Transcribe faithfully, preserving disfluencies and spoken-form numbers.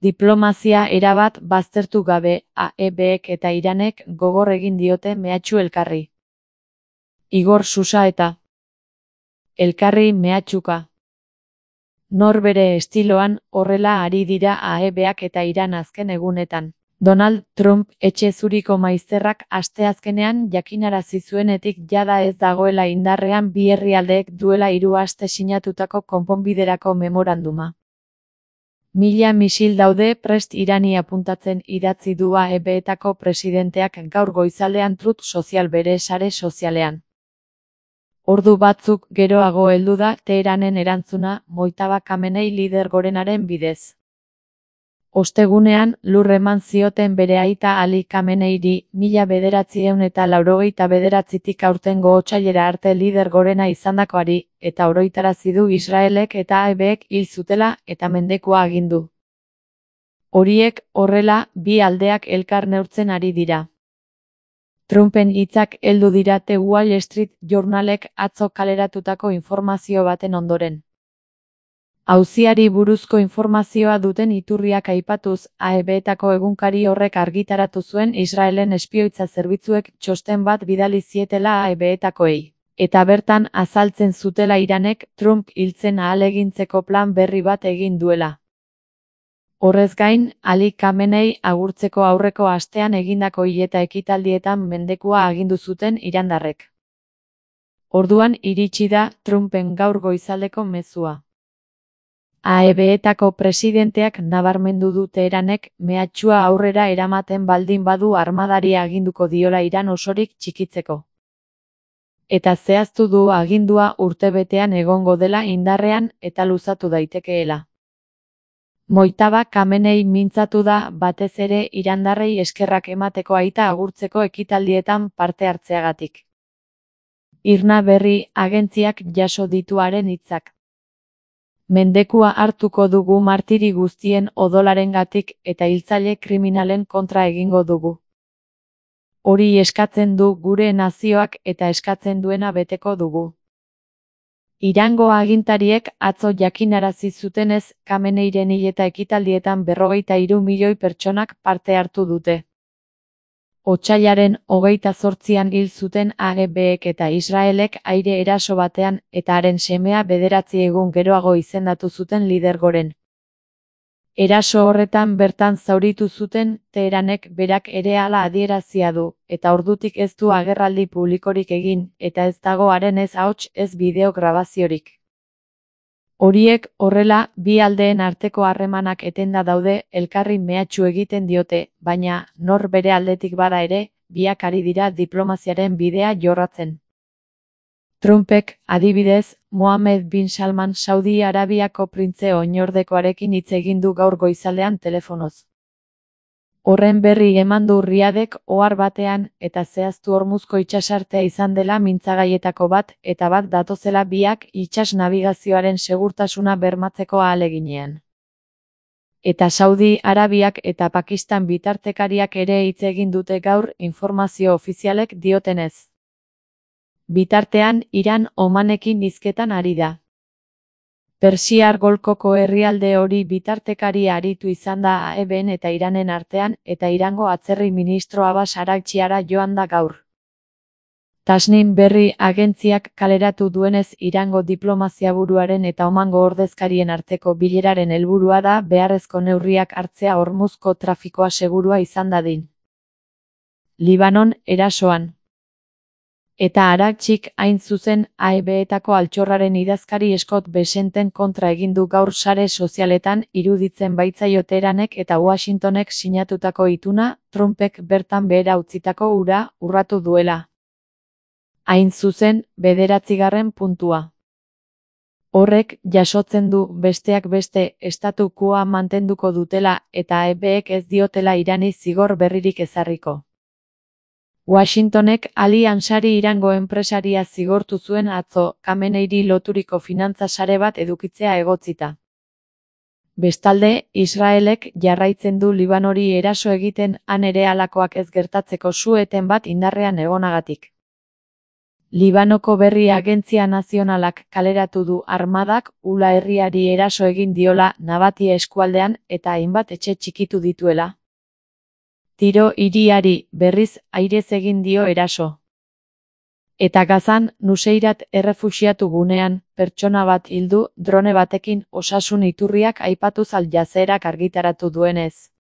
Diplomazia erabat baztertu gabe, A E Bek eta Iranek gogor egin diote mehatxu elkarri. Igor Susa eta elkarri mehatxuka. Nor bere estiloan, horrela ari dira A E Bak eta Iran azken egunetan. Donald Trump etxe zuriko maizterrak asteazkenean jakinarazi zuenetik jada ez dagoela indarrean bi herrialdeek duela hiru aste sinatutako konponbiderako memoranduma. Mila misil daude prest Irani apuntatzen idatzi du A E Betako presidenteak gaur goizaldean Truth Social bere sare sozialean. Ordu batzuk geroago heldu da Teheranen erantzuna Mojtaba Khamenei lider gorenaren bidez. Ostegunean, lur eman zioten bere aita Ali Khameneiri, mila bederatziehun eta laurogeita bederatzitik aurtengo otsailera arte lider gorena izandakoari, eta oroitarazi du Israelek eta A E Bek hil zutela eta mendekua agindu. Horiek, horrela, bi aldeak elkar neurtzen ari dira. Trumpen hitzak heldu dira The Wall Street Journalek atzo kaleratutako informazio baten ondoren. Auziari buruzko informazioa duten iturriak aipatuz, A E Betako egunkari horrek argitaratu zuen Israelen espioitza zerbitzuek txosten bat bidali zietela A E Betakoei, eta bertan azaltzen zutela Iranek Trump hiltzen ahalegintzeko plan berri bat egin duela. Horrez gain, Ali Khamenei agurtzeko aurreko astean egindako hileta ekitaldietan mendekua agindu zuten irandarrek. Orduan iritsi da Trumpen gaur goizaldeko mezua. A E Betako presidenteak nabarmendu du Teheranek mehatxua aurrera eramaten baldin badu armadari aginduko diola Iran osorik txikitzeko. Eta zehaztu du agindua urtebetean egongo dela indarrean eta luzatu daitekeela. Mojtaba Khamenei mintzatu da batez ere irandarrei eskerrak emateko aita agurtzeko ekitaldietan parte hartzeagatik. Irna Berri agentziak jaso ditu haren hitzak. Mendekua hartuko dugu martiri guztien odolarengatik eta hiltzaile kriminalen kontra egingo dugu. Hori eskatzen du gure nazioak eta eskatzen duena beteko dugu. Irango agintariek atzo jakinarazi zutenez, Khameneiren hileta ekitaldietan berrogeita hiru milioi pertsonak parte hartu dute. Otsailaren hogeita zortzian hil zuten A E Bek eta Israelek aire eraso batean eta haren semea bederatzi egun geroago izendatu zuten lider goren. Eraso horretan bertan zauritu zuten, Teheranek berak ere hala adierazia du, eta ordutik ez du agerraldi publikorik egin, eta ez dago haren ez ahots ez bideo grabaziorik. Horiek, horrela, bi aldeen arteko harremanak etenda daude, elkarri mehatxu egiten diote, baina, nor bere aldetik bada ere, biak ari dira diplomaziaren bidea jorratzen. Trumpek, adibidez, Mohammed bin Salman Saudi Arabiako printze oinordekoarekin hitz egin du gaur goizaldean telefonoz. Horren berri eman du Riadek ohar batean eta zehaztu Hormuzko itsasartea izan dela mintzagaietako bat eta bat datozela biak itsas nabigazioaren segurtasuna bermatzeko ahaleginean. Eta Saudi Arabiak eta Pakistan bitartekariak ere hitz egin dute gaur informazio ofizialek diotenez. Bitartean, Iran Omanekin hizketan ari da. Persiar golkoko herrialde hori bitartekari aritu izan da A E Ben eta Iranen artean eta Irango atzerri ministro Abbas Araghchiara joan da gaur. Tasnim Berri agentziak kaleratu duenez Irango diplomaziaburuaren eta Omango ordezkarien arteko bileraren helburua da beharrezko neurriak hartzea Hormuzko trafikoa segurua izan dadin. Libanon erasoan. Eta Araghchik hain zuzen A E Betako altxorraren idazkari Scott Bessenten kontra egin du gaur sare sozialetan iruditzen baitzaio Teheranek eta Washingtonek sinatutako ituna, Trumpek bertan behera utzitako hura urratu duela. Hain zuzen, bederatzigarren puntua. Horrek jasotzen du besteak beste estatu quoa mantenduko dutela eta A E Bek ez diotela Irani zigor berririk ezarriko. Washingtonek Ali Ansari Irango enpresaria zigortu zuen atzo, Khameneiri loturiko finantza sare bat edukitzea egotzita. Bestalde, Israelek jarraitzen du Libanori eraso egiten han ere halakoak ez gertatzeko su-eten bat indarrean egonagatik. Libanoko berri agentzia nazionalak kaleratu du armadak Ula herriari eraso egin diola Nabatia eskualdean eta hainbat etxe txikitu dituela. Tiro hiriari berriz airez egin dio eraso. Eta Gazan, Nuseirat errefuxiatu gunean, pertsona bat hildu drone batekin osasun iturriak aipatuz Al Jazeerak argitaratu duenez.